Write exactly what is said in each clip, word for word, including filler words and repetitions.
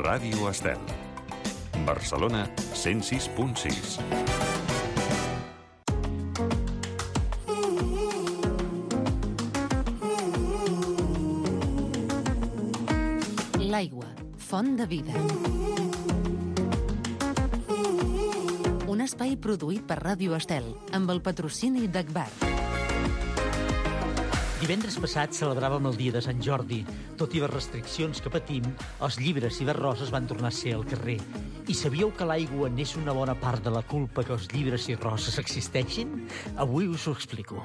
Ràdio Estel. Barcelona, cent sis punt sis. L'aigua, font de vida. Un espai produït per Ràdio Estel, amb el patrocini d'Agbar. Divendres passat celebràvem el dia de Sant Jordi. Tot i les restriccions que patim, els llibres i les roses van tornar a ser al carrer. I sabíeu que l'aigua n'és una bona part de la culpa que els llibres i roses existeixin? Avui us ho explico.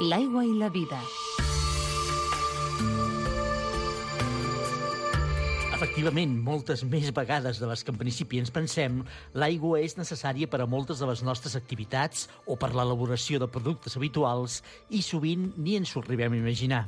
L'aigua i la vida. Efectivament, moltes més vegades de les que en principi ens pensem, l'aigua és necessària per a moltes de les nostres activitats o per l'elaboració de productes habituals i sovint ni ens ho arribem a imaginar.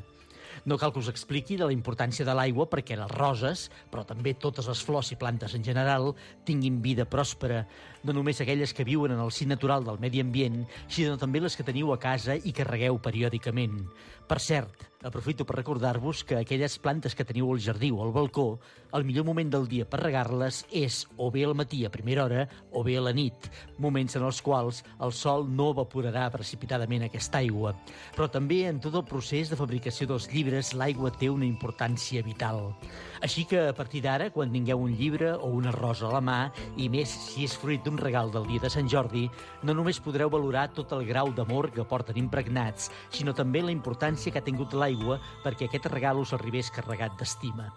No cal que us expliqui de la importància de l'aigua perquè les roses, però també totes les flors i plantes en general, tinguin vida pròspera, no només aquelles que viuen en el si natural del medi ambient, sinó també les que teniu a casa i que regueu periòdicament. Per cert, aprofito per recordar-vos que aquelles plantes que teniu al jardí o al balcó, el millor moment del dia per regar-les és o bé al matí a primera hora o bé a la nit, moments en els quals el sol no evaporarà precipitadament aquesta aigua. Però també en tot el procés de fabricació dels llibres l'aigua té una importància vital. Així que a partir d'ara, quan tingueu un llibre o una rosa a la mà, i més si és fruit d'un regal del dia de Sant Jordi, no només podreu valorar tot el grau d'amor que porten impregnats, sinó també la importància que ha tingut l'aigua perquè aquest regal us arribés carregat d'estima.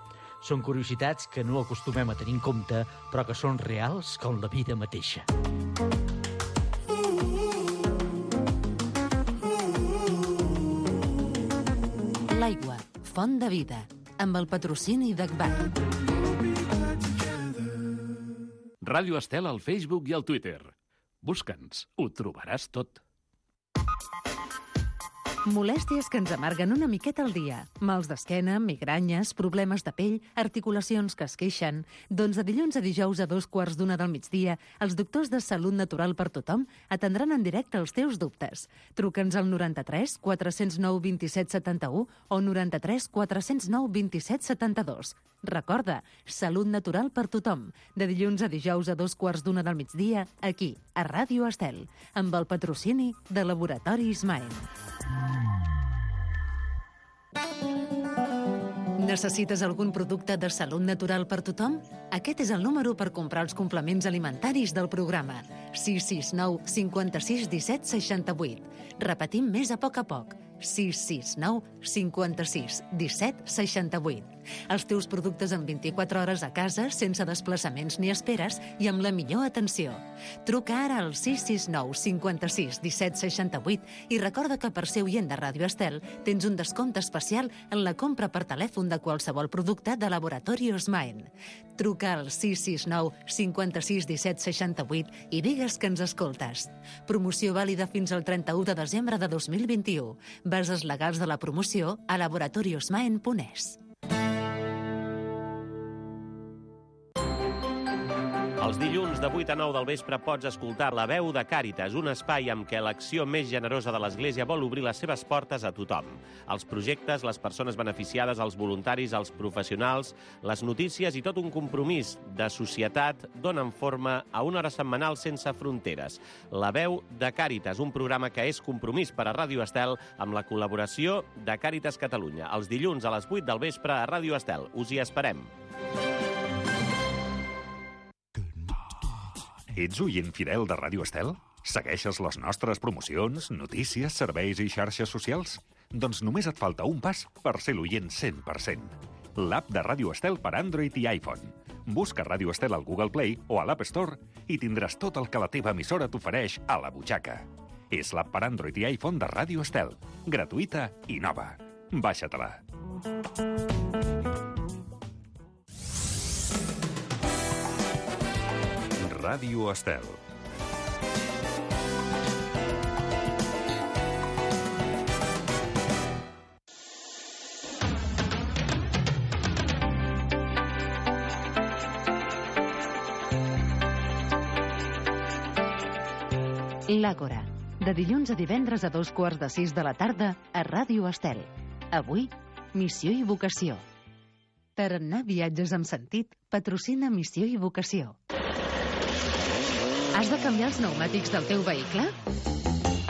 Són curiositats que no acostumem a tenir en compte, però que són reals com la vida mateixa. L'aigua, font de vida, amb el patrocini d'Agbar. Ràdio Estel al Facebook i al Twitter. Busca'ns, ho trobaràs tot. Molèsties que ens amarguen una miqueta al dia. Mals d'esquena, migranyes, problemes de pell, articulacions que es queixen. Doncs de dilluns a dijous a dos quarts d'una del migdia, els doctors de Salut Natural per Tothom atendran en directe els teus dubtes. Truca'ns al noranta-tres quatre zero nou vint set setanta-u o noranta-tres quatre zero nou vint set setanta-dos. Recorda, Salut Natural per Tothom, de dilluns a dijous a dos quarts d'una del migdia, aquí, a Ràdio Estel, amb el patrocini de Laboratori Ismael. Necessites algun producte de Salut Natural per Tothom? Aquest és el número per comprar els complements alimentaris del programa. sis sis nou cinquanta-sis disset seixanta-vuit. Repetim més a poc a poc. sis sis nou cinquanta-sis disset seixanta-vuit. Els teus productes en vint-i-quatre hores a casa, sense desplaçaments ni esperes i amb la millor atenció. Truca ara al sis sis nou cinquanta-sis disset seixanta-vuit i recorda que per ser oient de Ràdio Estel tens un descompte especial en la compra per telèfon de qualsevol producte de Laboratori Osmaen. Truca al sis sis nou cinquanta-sis disset seixanta-vuit i digues que ens escoltes. Promoció vàlida fins al trenta-u de desembre de dos mil vint-i-u. Bases legals de la promoció a laboratori osmaen punt es. Els dilluns de vuit a nou del vespre pots escoltar La Veu de Càritas, un espai amb què l'acció més generosa de l'Església vol obrir les seves portes a tothom. Els projectes, les persones beneficiades, els voluntaris, els professionals, les notícies i tot un compromís de societat donen forma a una hora setmanal sense fronteres. La Veu de Càritas, un programa que és compromís per a Ràdio Estel amb la col·laboració de Càritas Catalunya. Els dilluns a les vuit del vespre a Ràdio Estel. Us hi esperem. Ets oient fidel de Ràdio Estel? Segueixes les nostres promocions, notícies, serveis i xarxes socials? Doncs només et falta un pas per ser l'oient cent per cent. L'app de Ràdio Estel per Android i iPhone. Busca Ràdio Estel al Google Play o a l'App Store i tindràs tot el que la teva emissora t'ofereix a la butxaca. És l'app per Android i iPhone de Ràdio Estel. Gratuïta i nova. Baixa-te-la. Ràdio Estel. L'Àgora, de dilluns a divendres a dos quarts de sis de la tarda a Ràdio Estel. Avui, missió i vocació. Tarannà Viatges amb Sentit patrocina Missió i Vocació. Has de canviar els pneumàtics del teu vehicle?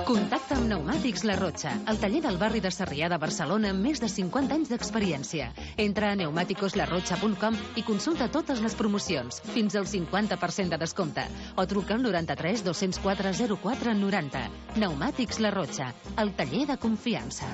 Contacta amb Pneumàtics La Rotxa, el taller del barri de Sarrià de Barcelona amb més de cinquanta anys d'experiència. Entra a pneumàticos la rotxa punt com i consulta totes les promocions, fins al cinquanta per cent de descompte, o truca al noranta-tres dos-cents quatre zero quatre noranta. Pneumàtics La Rotxa, el taller de confiança.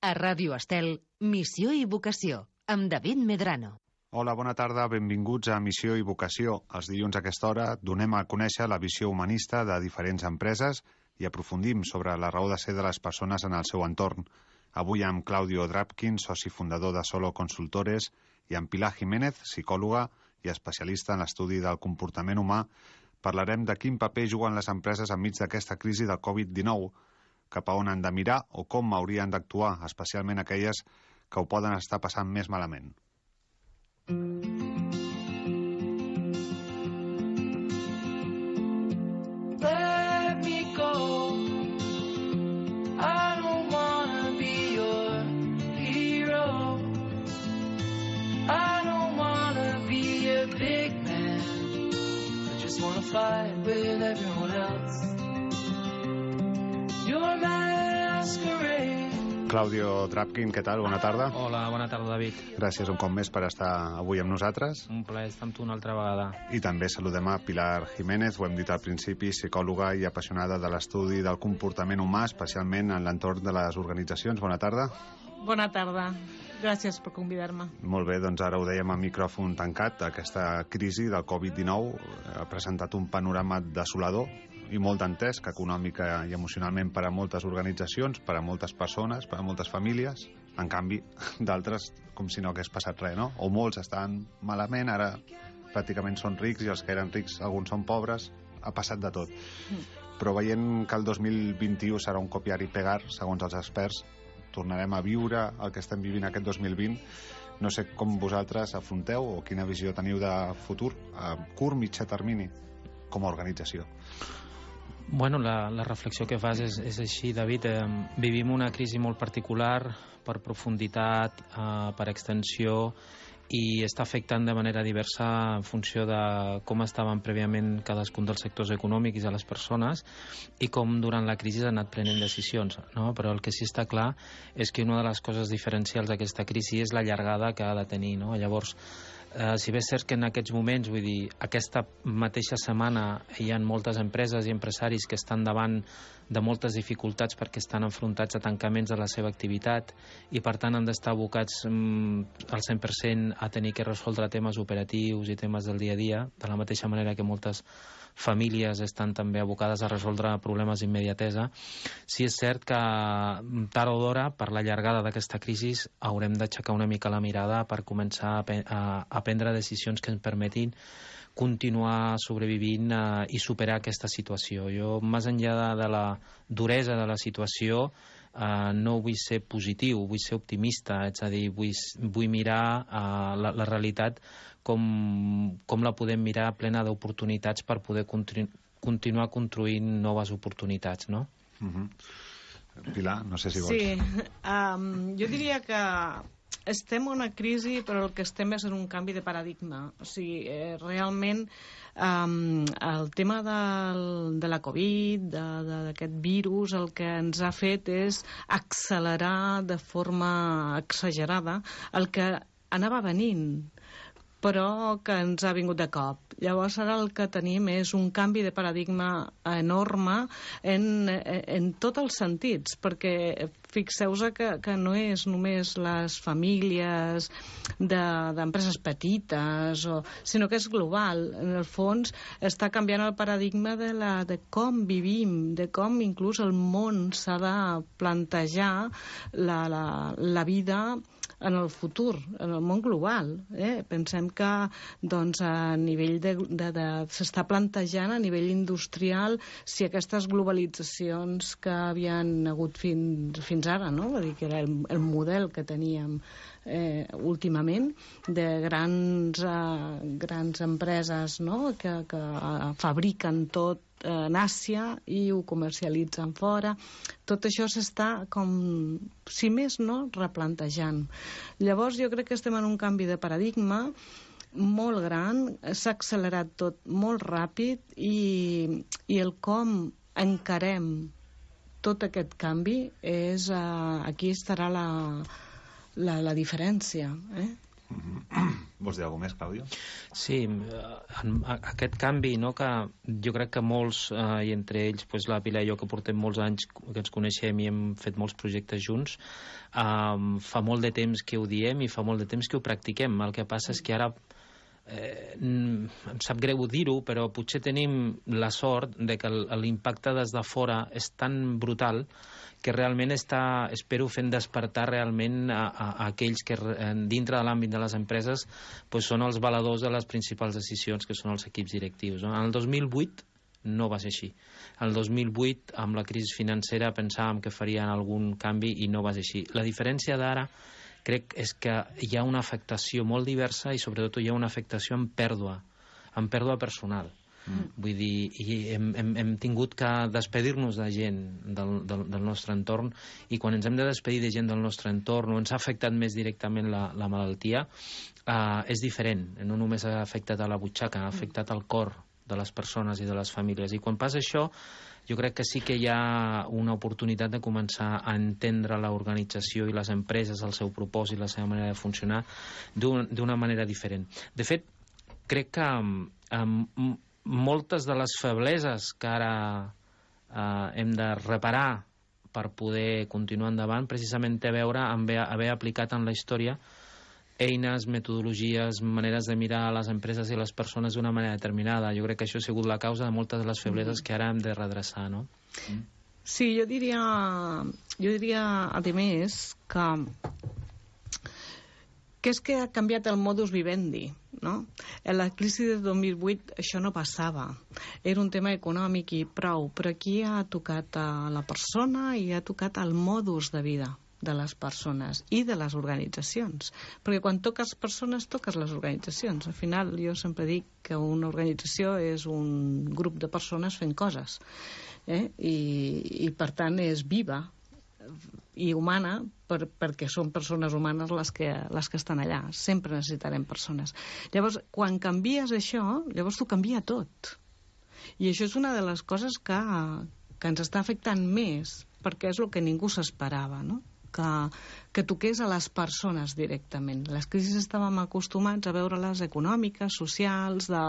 A Ràdio Estel, Missió i Vocació, amb David Medrano. Hola, bona tarda, benvinguts a Missió i Vocació. Els dilluns a aquesta hora donem a conèixer la visió humanista de diferents empreses i aprofundim sobre la raó de ser de les persones en el seu entorn. Avui amb Claudio Drapkin, soci fundador de Solo Consultores, i amb Pilar Jiménez, psicòloga i especialista en l'estudi del comportament humà, parlarem de quin paper juguen les empreses enmig d'aquesta crisi del covid dinou, cap a on han de mirar o com haurien d'actuar, especialment aquelles que ho poden estar passant més malament. Let me go. I don't wanna be your hero. I don't wanna be a big man. I just wanna fight with everyone else. You're my masquerade. Claudio Drapkin, què tal? Bona tarda. Hola, bona tarda, David. Gràcies un cop més per estar avui amb nosaltres. Un plaer estar amb tu una altra vegada. I també saludem a Pilar Jiménez, ho hem dit al principi, psicòloga i apassionada de l'estudi del comportament humà, especialment en l'entorn de les organitzacions. Bona tarda. Bona tarda. Gràcies per convidar-me. Molt bé, doncs ara ho dèiem a micròfon tancat. Aquesta crisi del covid dinou ha presentat un panorama desolador i molt dantesc, econòmica i emocionalment, per a moltes organitzacions, per a moltes persones, per a moltes famílies. En canvi, d'altres, com si no hagués passat res, no? O molts estan malament, ara pràcticament són rics, i els que eren rics, alguns són pobres. Ha passat de tot. Mm. Però veient que el dos mil vint-i-u serà un copiar i pegar, segons els experts, tornarem a viure el que estem vivint aquest dos mil vint. No sé com vosaltres afronteu o quina visió teniu de futur a curt, mitjà termini com a organització. Bueno, la, la reflexió que fas és, és així, David. Eh, vivim una crisi molt particular per profunditat, eh, per extensió, i està afectant de manera diversa en funció de com estaven prèviament cadascun dels sectors econòmics i a les persones i com durant la crisi han anat prenent decisions, no? Però el que sí està clar és que una de les coses diferencials d'aquesta crisi és la llargada que ha de tenir, no? Llavors, eh, si bé és cert que en aquests moments, vull dir, aquesta mateixa setmana hi ha moltes empreses i empresaris que estan davant de moltes dificultats perquè estan enfrontats a tancaments de la seva activitat i per tant han d'estar abocats mm, al cent per cent a tenir que resoldre temes operatius i temes del dia a dia, de la mateixa manera que moltes famílies estan també abocades a resoldre problemes d'immediatesa. Sí és cert que tard o d'hora, per la llargada d'aquesta crisi, haurem d'aixecar una mica la mirada per començar a, a, a prendre decisions que ens permetin continuar sobrevivint eh, i superar aquesta situació. Jo, més enllà de, de la duresa de la situació, eh, no vull ser positiu, vull ser optimista, és a dir, vull, vull mirar eh, la, la realitat com, com la podem mirar plena d'oportunitats per poder continu, continuar construint noves oportunitats, no? Uh-huh. Pilar, no sé si vols. Sí, um, jo diria que estem en una crisi, però el que estem és en un canvi de paradigma. O sigui, eh, realment um, el tema del, de la Covid, d'aquest virus, el que ens ha fet és accelerar de forma exagerada el que anava venint, però que ens ha vingut de cop. Llavors ara el que tenim és un canvi de paradigma enorme en, en tots els sentits, perquè fixeu-vos que, que no és només les famílies d'empreses de, petites, o, sinó que és global. En el fons està canviant el paradigma de, la, de com vivim, de com inclús el món s'ha de plantejar la, la, la vida en el futur, en el món global. Eh? Pensem que doncs, a nivell de, de, de, s'està plantejant a nivell industrial si aquestes globalitzacions que havien hagut fins, fins ara, no? Vull dir que era el, el model que teníem eh, últimament de grans, eh, grans empreses, no? que, que fabriquen tot en Àsia i ho comercialitzen fora. Tot això s'està, com, si més no, replantejant. Llavors jo crec que estem en un canvi de paradigma molt gran, s'ha accelerat tot molt ràpid i, i el com encarem tot aquest canvi és, uh, aquí estarà la, la, la diferència, eh? Vols dir alguna més, Clàudia? Sí, en aquest canvi, no, que jo crec que molts, eh, i entre ells pues, la Pilar i jo, que portem molts anys que ens coneixem i hem fet molts projectes junts, eh, fa molt de temps que ho diem i fa molt de temps que ho practiquem. El que passa és que ara eh, em sap greu dir-ho, però potser tenim la sort de que l'impacte des de fora és tan brutal que realment està, espero, fent despertar realment a, a, a aquells que dintre de l'àmbit de les empreses pues, són els valedors de les principals decisions, que són els equips directius. No? En el dos mil vuit no va ser així. El dos mil vuit, amb la crisi financera, pensàvem que farien algun canvi i no va ser així. La diferència d'ara crec és que hi ha una afectació molt diversa i sobretot hi ha una afectació en pèrdua, en pèrdua personal. Mm. Vull dir, i hem, hem, hem tingut que despedir-nos de gent del, del, del nostre entorn, i quan ens hem de despedir de gent del nostre entorn o ens ha afectat més directament la, la malaltia, eh, és diferent. No només ha afectat a la butxaca, ha afectat al cor de les persones i de les famílies. I quan passa això, jo crec que sí que hi ha una oportunitat de començar a entendre l'organització i les empreses, el seu propòsit, la seva manera de funcionar d'una manera diferent. De fet, crec que um, moltes de les febleses que ara eh, hem de reparar per poder continuar endavant precisament té a veure amb haver, haver aplicat en la història eines, metodologies, maneres de mirar a les empreses i les persones d'una manera determinada. Jo crec que això ha sigut la causa de moltes de les febleses que ara hem de redreçar, no? Sí, jo diria, jo diria a més que que és que ha canviat el modus vivendi, no? En la crisi de dos mil vuit això no passava. Era un tema econòmic i prou, però aquí ha tocat a la persona i ha tocat el modus de vida de les persones i de les organitzacions. Perquè quan toques persones, toques les organitzacions. Al final, jo sempre dic que una organització és un grup de persones fent coses. Eh? I, i, per tant, és viva i humana per, perquè són persones humanes les que, les que estan allà. Sempre necessitarem persones. Llavors, quan canvies això, llavors t'ho canvia tot. I això és una de les coses que, que ens està afectant més, perquè és el que ningú s'esperava, no? Que, que toqués a les persones directament. Les crisis estàvem acostumats a veure-les econòmiques, socials, de,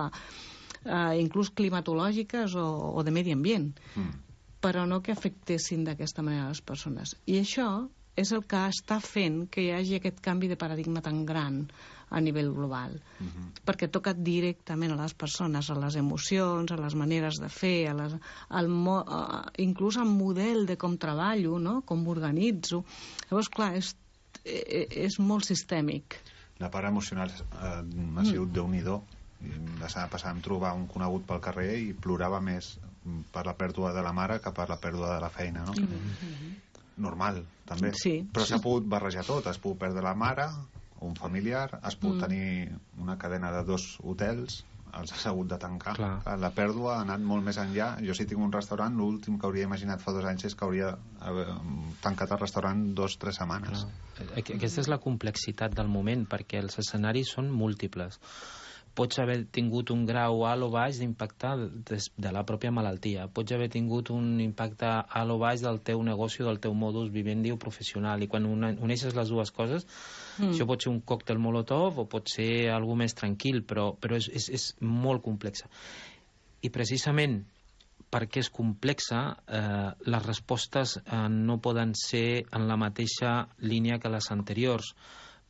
eh, inclús climatològiques o, o de medi ambient. Mm. Però no que afectessin d'aquesta manera les persones. I això és el que està fent que hi hagi aquest canvi de paradigma tan gran a nivell global. Uh-huh. Perquè toca directament a les persones, a les emocions, a les maneres de fer, a les, al mo, a, inclús al model de com treballo, no? Com m'organitzo. Llavors, clar, és, és molt sistèmic. La part emocional eh, ha sigut mm. déu-n'hi-do. La setmana passada em trobava un conegut pel carrer i plorava més per la pèrdua de la mare que per la pèrdua de la feina, no? Mm-hmm. Normal, també. Sí, però s'ha sí. pogut barrejar tot. Has pogut perdre la mare, un familiar, has pogut mm. tenir una cadena de dos hotels, els has hagut de tancar. Clar. La pèrdua ha anat molt més enllà. Jo si tinc un restaurant, l'últim que hauria imaginat fa dos anys és que hauria tancat el restaurant dos o tres setmanes. Clar. Aquesta és la complexitat del moment, perquè els escenaris són múltiples. Pots haver tingut un grau alt o baix d'impacte de, de la pròpia malaltia. Pots haver tingut un impacte alt o baix del teu negoci, del teu modus vivendi o professional. I quan uneixes les dues coses, mm. això pot ser un còctel molotov o pot ser algú més tranquil, però, però és, és, és molt complexa. I precisament perquè és complexa, eh, les respostes eh, no poden ser en la mateixa línia que les anteriors.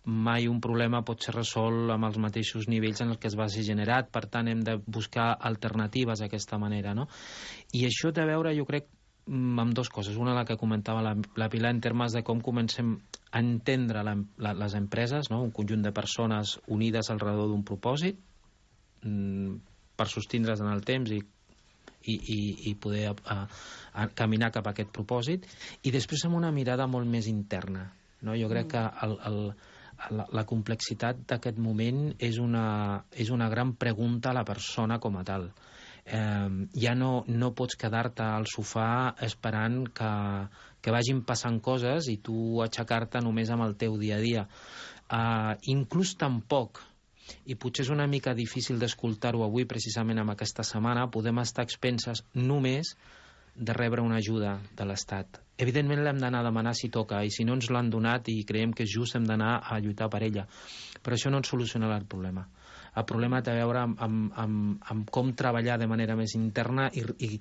Mai un problema pot ser resolt amb els mateixos nivells en els que es va ser generat, per tant hem de buscar alternatives d'aquesta manera, no? I això té a veure, jo crec, amb dues coses. Una, la que comentava la, la Pilar, en termes de com comencem a entendre la, la, les empreses, no? Un conjunt de persones unides al redor d'un propòsit mm, per sostindre's en el temps i I, i, i poder a, a caminar cap a aquest propòsit, i després amb una mirada molt més interna, no? Jo crec que el, el, la, la complexitat d'aquest moment és una, és una gran pregunta a la persona com a tal. eh, ja no, no pots quedar-te al sofà esperant que, que vagin passant coses i tu aixecar-te només amb el teu dia a dia. Eh, inclús tampoc, i potser és una mica difícil d'escoltar-ho avui precisament amb aquesta setmana, podem estar a expenses només de rebre una ajuda de l'Estat. Evidentment l'hem d'anar a demanar si toca, i si no ens l'han donat i creiem que és just hem d'anar a lluitar per ella. Però això no ens solucionarà el problema. El problema té a veure amb, amb, amb, amb com treballar de manera més interna i, i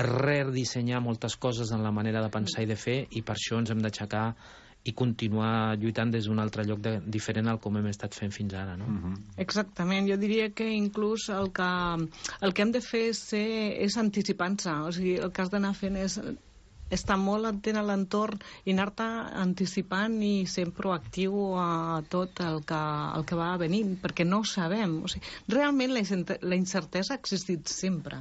redissenyar moltes coses en la manera de pensar i de fer, i per això ens hem d'aixecar i continuar lluitant des d'un altre lloc de, diferent al com hem estat fent fins ara, no? Uh-huh. Exactament, jo diria que inclús el que, el que hem de fer és, ser, és anticipar-se, o sigui, el que has d'anar fent és estar molt atent a l'entorn i anar-te anticipant i ser proactiu a tot el que, el que va venint, perquè no ho sabem. O sigui, realment la incertesa ha existit sempre.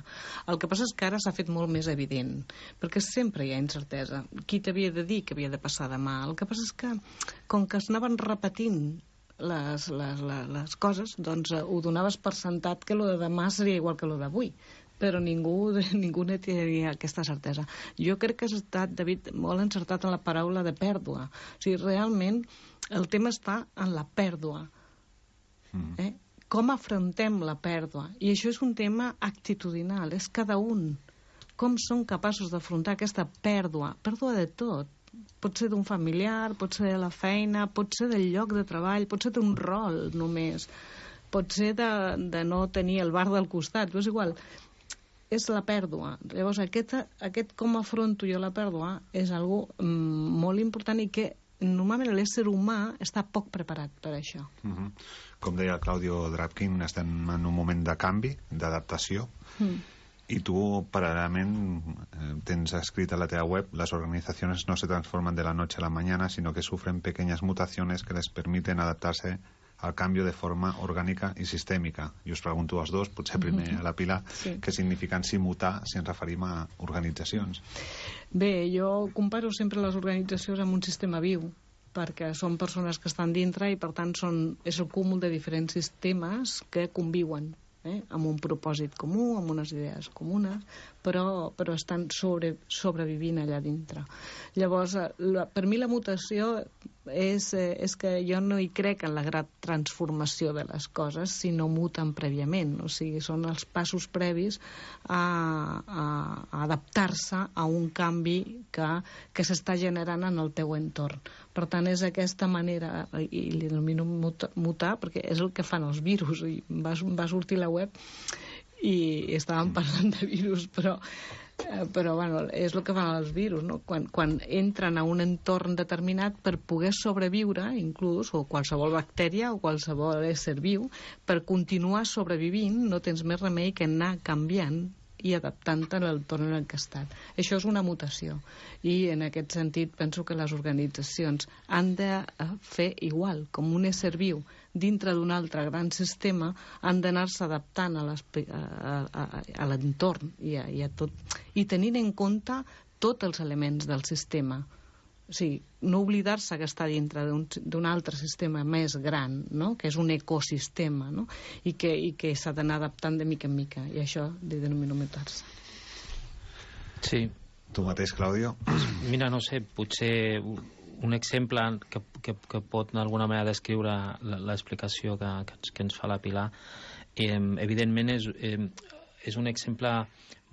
El que passa és que ara s'ha fet molt més evident, perquè sempre hi ha incertesa. Qui t'havia de dir que havia de passar demà? El que passa és que, com que es anaven repetint les, les, les, les coses, doncs ho donaves per sentat que lo de demà seria igual que lo d'avui, però ningú, ningú no tenia aquesta certesa. Jo crec que has estat, David, molt encertat en la paraula de pèrdua. O sigui, realment el tema està en la pèrdua. Mm. Eh? Com afrontem la pèrdua? I això és un tema actitudinal, és cada un. Com són capaços d'afrontar aquesta pèrdua? Pèrdua de tot. Pot ser d'un familiar, pot ser de la feina, pot ser del lloc de treball, pot ser d'un rol només, pot ser de, de no tenir el bar del costat, però és igual. És la pèrdua. Llavors, aquest, aquest com afronto jo la pèrdua és algo mm, molt important i que normalment l'ésser humà està poc preparat per això. Uh-huh. Com deia Claudio Drapkin, estem en un moment de canvi, d'adaptació, mm. i tu, paral·lelament, eh, tens escrit a la teva web: las organizaciones no se transforman de la noche a la mañana, sino que sufren pequeñas mutaciones que les permiten adaptarse al canvi de forma orgànica i sistèmica. I us pregunto als dos, potser primer a la Pilar, sí. Què signifiquen si mutar si ens referim a organitzacions? Bé, jo comparo sempre les organitzacions amb un sistema viu, perquè són persones que estan dintre i per tant són, és el cúmul de diferents sistemes que conviuen, eh? amb un propòsit comú, amb unes idees comunes, però, però estan sobre, sobrevivint allà dintre. Llavors, la, per mi la mutació és, eh, és que jo no hi crec en la gran transformació de les coses si no muten prèviament, o sigui, són els passos previs a, a, a adaptar-se a un canvi que, que s'està generant en el teu entorn. Per tant, és aquesta manera, i li denomino mutar, perquè és el que fan els virus, i va, va sortir la web i estàvem parlant de virus, però però bueno, és el que fan els virus, no? Quan, quan entren a un entorn determinat per poder sobreviure, inclús, o qualsevol bactèria o qualsevol ésser viu, per continuar sobrevivint no tens més remei que anar canviant i adaptant-te a l'entorn en què estan. Això és una mutació, i en aquest sentit penso que les organitzacions han de fer igual, com un ésser viu dintre d'un altre gran sistema, han d'anar-se adaptant a, a, a, a l'entorn i, a, i a tot, i tenint en compte tots els elements del sistema. O sigui, no oblidar-se que està dintre d'un altre sistema més gran, no? Que és un ecosistema, no? I que, i que s'ha d'anar adaptant de mica en mica, i això li denomino mutar-se. Sí. Tu mateix, Claudio? Mira, no sé, potser un exemple que, que, que pot d'alguna manera descriure l'explicació que, que, ens, que ens fa la Pilar, eh, evidentment és, eh, és un exemple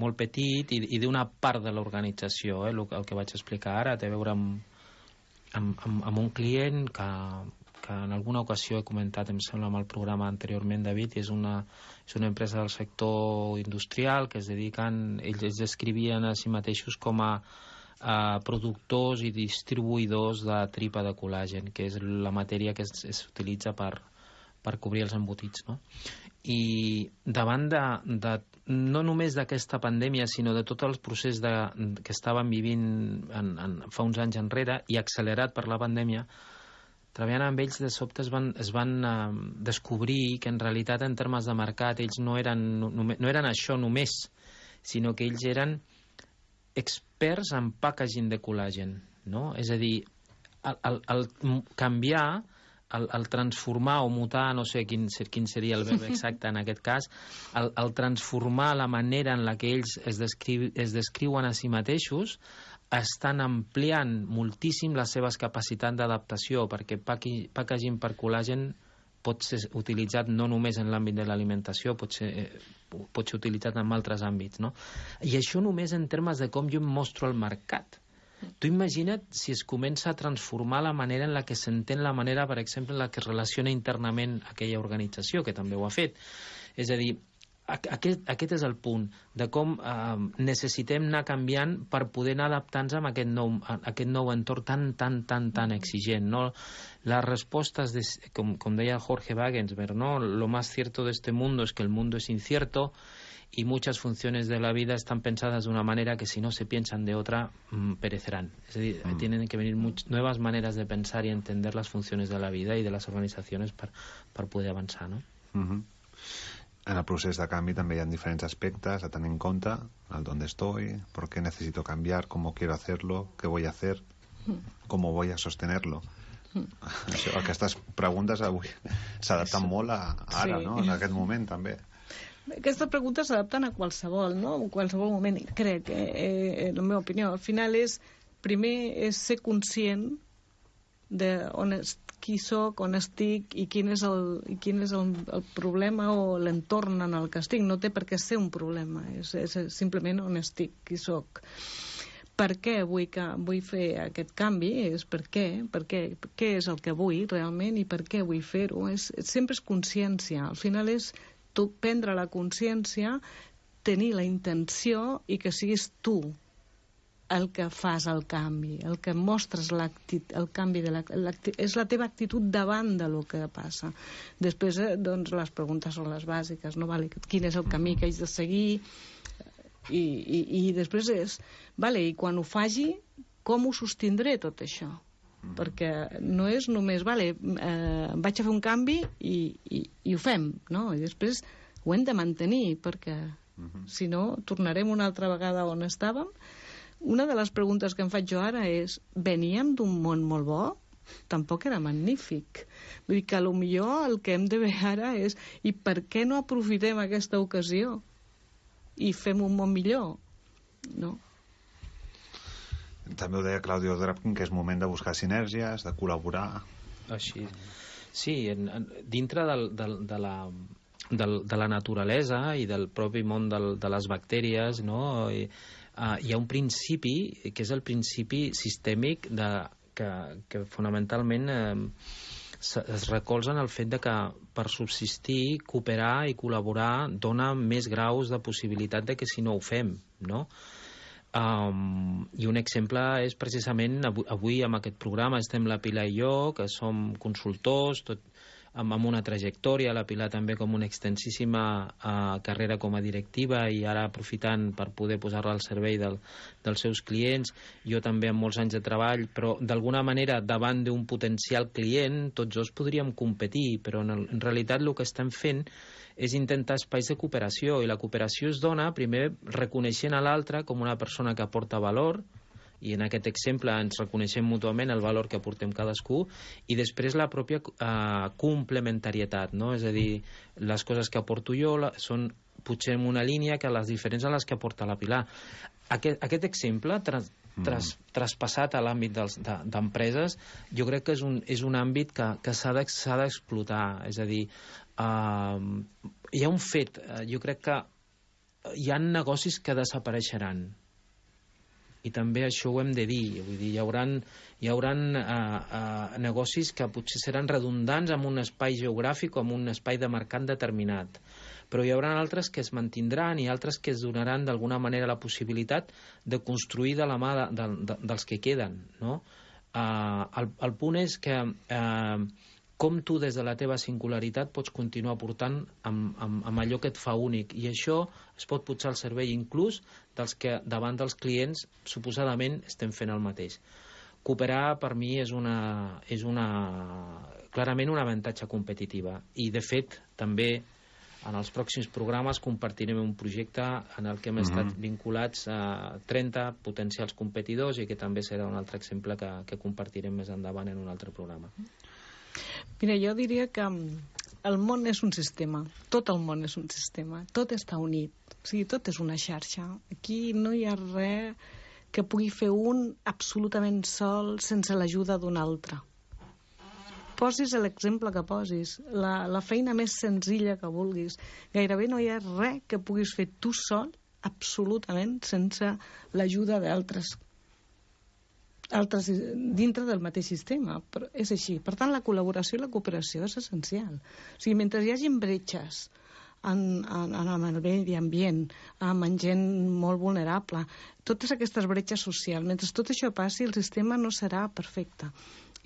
molt petit i, i d'una part de l'organització. Eh? El, el que vaig explicar ara té a veure amb, amb, amb, amb un client que, que en alguna ocasió he comentat, em sembla, amb el programa anteriorment, David, i és una, és una empresa del sector industrial que es dediquen, ells es descrivien a si mateixos com a a productors i distribuïdors de tripa de col·làgen, que és la matèria que s'utilitza per, per cobrir els embotits, no? I davant de, de no només d'aquesta pandèmia, sinó de tot el procés de, que estàvem vivint en, en, fa uns anys enrere i accelerat per la pandèmia, treballant amb ells de sobte es van, es van uh, descobrir que en realitat en termes de mercat ells no eren, no, no eren això només, sinó que ells eren experts en packaging de col·làgen, no? És a dir, el, el, el canviar el, el transformar o mutar, no sé quin, quin seria el verb exacte en aquest cas, el, el transformar la manera en la que ells es, descriu, es descriuen a si mateixos, estan ampliant moltíssim les seves capacitats d'adaptació, perquè packaging per col·làgen pot ser utilitzat no només en l'àmbit de l'alimentació, pot ser, pot ser utilitzat en altres àmbits, no? I això només en termes de com jo em mostro al mercat. Tu imagina't si es comença a transformar la manera en la que s'entén la manera, per exemple, en la que es relaciona internament aquella organització, que també ho ha fet. És a dir, aquest, aquest és el punt de com eh, necessitem anar canviant per poder anar adaptant-nos a aquest nou, a aquest nou entorn tan, tan, tan, tan exigent, no? Las respostas, de, com, com deia Jorge Wagensberg, ¿no? Lo más cierto de este mundo es que el mundo es incierto y muchas funciones de la vida están pensadas de una manera que si no se piensan de otra, mmm, perecerán. Es decir, mm. tienen que venir much, nuevas maneras de pensar y entender las funciones de la vida y de las organizaciones per, per poder avançar, no? Mm-hmm. En el procés de canvi també hi ha diferents aspectes a tenir en compte, el dónde estoy, por qué necesito cambiar, cómo quiero hacerlo, qué voy a hacer, cómo voy a sostenerlo. Això, aquestes preguntes avui s'adapten molt a ara, sí. No? En aquest moment també. Aquestes preguntes s'adapten a qualsevol, no? En qualsevol moment, crec, eh, en la meva opinió. Al final és, primer és ser conscient de on es, qui soc, on estic i quin és el, i quin és el, el problema o l'entorn en el que estic. No té per què ser un problema, és, és simplement on estic, qui soc. Per què vull, que, vull fer aquest canvi? És per què, per què, què és el que vull realment i per què vull fer-ho? És, sempre és consciència. Al final és tu prendre la consciència, tenir la intenció i que siguis tu el que fas el canvi, el que mostres el canvi, de la, és la teva actitud davant de lo que passa. Després, eh, doncs, les preguntes són les bàsiques, no? Vale, quin és el camí que haig de seguir? I, i, i després és, vale, i quan ho faci, com ho sostindré tot això? Mm. Perquè no és només, vale, eh, vaig a fer un canvi i, i, i ho fem, no? I després ho hem de mantenir, perquè mm-hmm. si no, tornarem una altra vegada on estàvem. Una de les preguntes que em faig jo ara és, veníem d'un món molt bo? Tampoc era magnífic. Vull dir que potser el que hem de veure ara és, i per què no aprofitem aquesta ocasió i fem un món millor? No? També ho deia Claudio Drapkin, que és moment de buscar sinergies, de col·laborar. Així. Sí, en, en, dintre del, del, de la... Del, de la naturalesa i del propi món del, de les bactèries, no? I, uh, hi ha un principi que és el principi sistèmic de, que, que fonamentalment eh, es recolza en el fet de que per subsistir, cooperar i col·laborar dona més graus de possibilitat de que si no ho fem, no? Um, i un exemple és precisament avui, avui amb aquest programa estem la Pilar i jo, que som consultors, tot amb una trajectòria, la Pilar també com una extensíssima uh, carrera com a directiva i ara aprofitant per poder posar-la al servei del, dels seus clients, jo també amb molts anys de treball, però d'alguna manera davant d'un potencial client tots dos podríem competir, però en, el, en realitat el que estem fent és intentar espais de cooperació, i la cooperació es dona primer reconeixent a l'altre com una persona que aporta valor, i en aquest exemple ens reconeixem mútuament el valor que aportem cadascú, i després la pròpia eh, complementarietat, no? És a dir, les coses que aporto jo la, són potser en una línia que les diferents a les que aporta la Pilar. Aquest, aquest exemple tras, tras, mm. traspassat a l'àmbit d'empreses, de, jo crec que és un, és un àmbit que, que s'ha d'explotar, és a dir, eh, hi ha un fet, jo crec que hi ha negocis que desapareixeran, i també això ho hem de dir, vull dir, hi haurà, hi haurà uh, uh, negocis que potser seran redundants en un espai geogràfic o en un espai de mercat determinat, però hi haurà altres que es mantindran i altres que es donaran d'alguna manera la possibilitat de construir de la mà de, de, de, dels que queden, no? Uh, el, el punt és que uh, com tu des de la teva singularitat pots continuar portant amb, amb, amb allò que et fa únic, i això es pot posar al servei inclús dels que davant dels clients suposadament estem fent el mateix. Cooperar per mi és una, és una clarament un avantatge competitiva, i de fet també en els pròxims programes compartirem un projecte en el que hem mm-hmm. estat vinculats a trenta potencials competidors, i que també serà un altre exemple que, que compartirem més endavant en un altre programa. Mira, jo diria que el món és un sistema, tot el món és un sistema, tot està unit, o sigui, tot és una xarxa. Aquí no hi ha res que pugui fer un absolutament sol sense l'ajuda d'un altre. Posis l'exemple que posis, la, la feina més senzilla que vulguis, gairebé no hi ha res que puguis fer tu sol absolutament sense l'ajuda d'altres altres dintre del mateix sistema. Però és així. Per tant, la col·laboració i la cooperació és essencial. O sigui, mentre hi hagi bretxes en, en, en el medi ambient, amb gent molt vulnerable, totes aquestes bretxes socials, mentre tot això passi, el sistema no serà perfecte.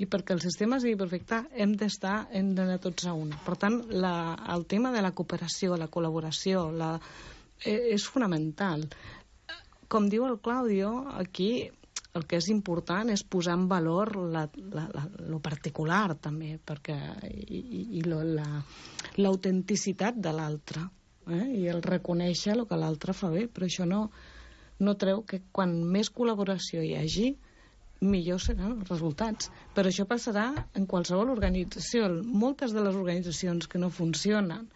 I perquè el sistema sigui perfecte hem d'estar, hem d'anar tots a una. Per tant, la, el tema de la cooperació, la col·laboració, la, eh, és fonamental. Com diu el Claudio, aquí el que és important és posar en valor la, la, la, lo particular també, perquè i, i, i lo, la, l'autenticitat de l'altre, eh? I el reconèixer el que l'altre fa bé, però això no, no treu que quan més col·laboració hi hagi, millor seran els resultats. Però això passarà en qualsevol organització. Moltes de les organitzacions que no funcionen,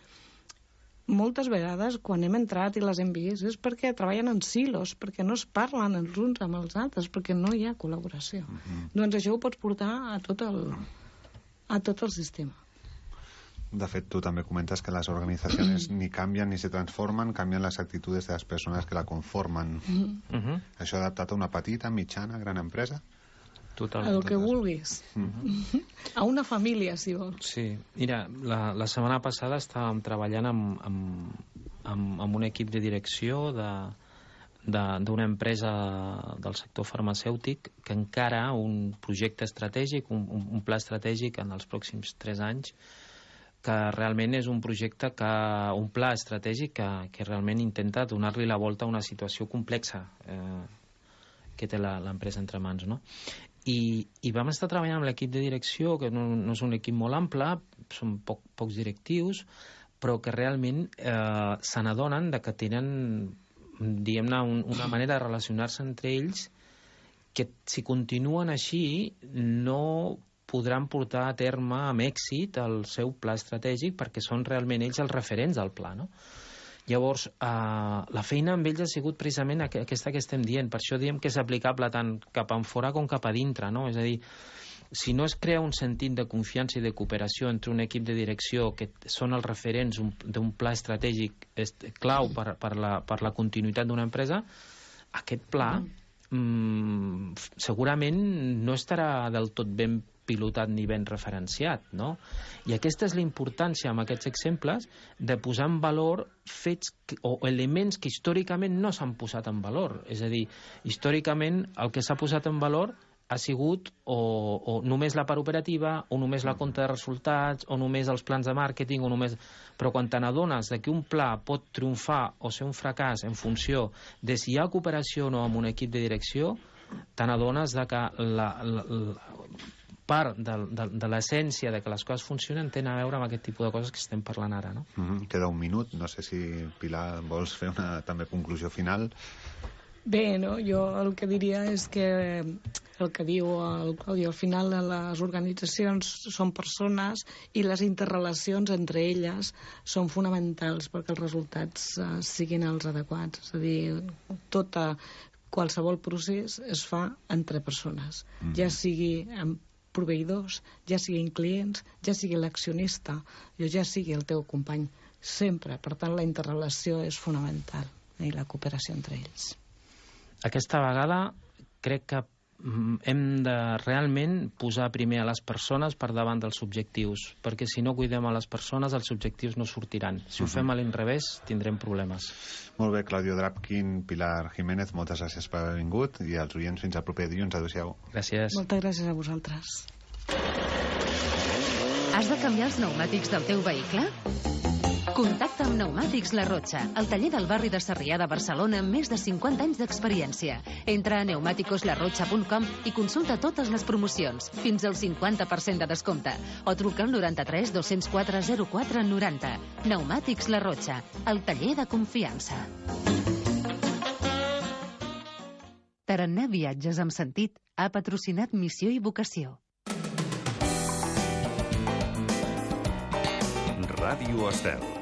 moltes vegades, quan hem entrat i les hem vist, és perquè treballen en silos, perquè no es parlen els uns amb els altres, perquè no hi ha col·laboració. Uh-huh. Doncs això ho pots portar a tot el, a tot el sistema. De fet, tu també comentes que les organitzacions ni canvien ni se transformen, canvien les actituds de les persones que la conformen. Uh-huh. Això adaptat a una petita, mitjana, gran empresa? Totalment. El que vulguis. Mm-hmm. A una família, si vols. Sí. Mira, la, la setmana passada estàvem treballant amb, amb, amb, amb un equip de direcció de, de, d'una empresa del sector farmacèutic que encara un projecte estratègic, un, un pla estratègic en els pròxims tres anys, que realment és un projecte, que un pla estratègic que, que realment intenta donar-li la volta a una situació complexa eh, que té la, l'empresa entre mans, no? I, i vam estar treballant amb l'equip de direcció, que no, no és un equip molt ample, són poc, pocs directius, però que realment eh, se n'adonen de que tenen, diguem-ne, un, una manera de relacionar-se entre ells que, si continuen així, no podran portar a terme amb èxit el seu pla estratègic, perquè són realment ells els referents del pla, no? Llavors, eh, la feina amb ells ha sigut precisament aquesta que estem dient. Per això diem que és aplicable tant cap enfora com cap a dintre, no? És a dir, si no es crea un sentit de confiança i de cooperació entre un equip de direcció que són els referents d'un pla estratègic clau per, per, la, per la continuïtat d'una empresa, aquest pla mm, segurament no estarà del tot ben pilotat ni ben referenciat, no? I aquesta és la importància amb aquests exemples de posar en valor fets que, o elements que històricament no s'han posat en valor. És a dir, històricament el que s'ha posat en valor ha sigut o, o només la part operativa, o només la compta de resultats, o només els plans de màrqueting, o només... Però quan te n'adones de que un pla pot triomfar o ser un fracàs en funció de si hi ha cooperació o no amb un equip de direcció, te n'adones de que la, la, la part de, de, de l'essència de que les coses funcionen tenen a veure amb aquest tipus de coses que estem parlant ara, no? Mm-hmm. Queda un minut, no sé si, Pilar, vols fer una també conclusió final? Bé, no? Jo el que diria és que el que diu el Claudio, al final les organitzacions són persones i les interrelacions entre elles són fonamentals perquè els resultats uh, siguin els adequats. És a dir, tota qualsevol procés es fa entre persones, mm-hmm. ja sigui amb proveïdors, ja siguin clients, ja sigui l'accionista, ja sigui el teu company, sempre. Per tant, la interrelació és fonamental i la cooperació entre ells. Aquesta vegada crec que hem de realment posar primer a les persones per davant dels objectius, perquè si no cuidem a les persones, els objectius no sortiran. Si ho uh-huh. fem a l'inrevés, tindrem problemes. Molt bé, Claudio Drapkin, Pilar Jiménez, moltes gràcies per haver vingut, i als oients fins al proper dilluns. Adéu-siau. Gràcies. Moltes gràcies a vosaltres. Has de canviar els pneumàtics del teu vehicle? Contacta amb Pneumàtics La Rotxa, el taller del barri de Sarrià de Barcelona amb més de cinquanta anys d'experiència. Entra a pneumáticos la rotxa punt com i consulta totes les promocions, fins al cinquanta per cent de descompte, o truca al noranta-tres dos-cents quatre zero quatre noranta. Pneumàtics La Rotxa, el taller de confiança. Tarannà Viatges amb Sentit ha patrocinat Missió i Vocació. Ràdio Estel.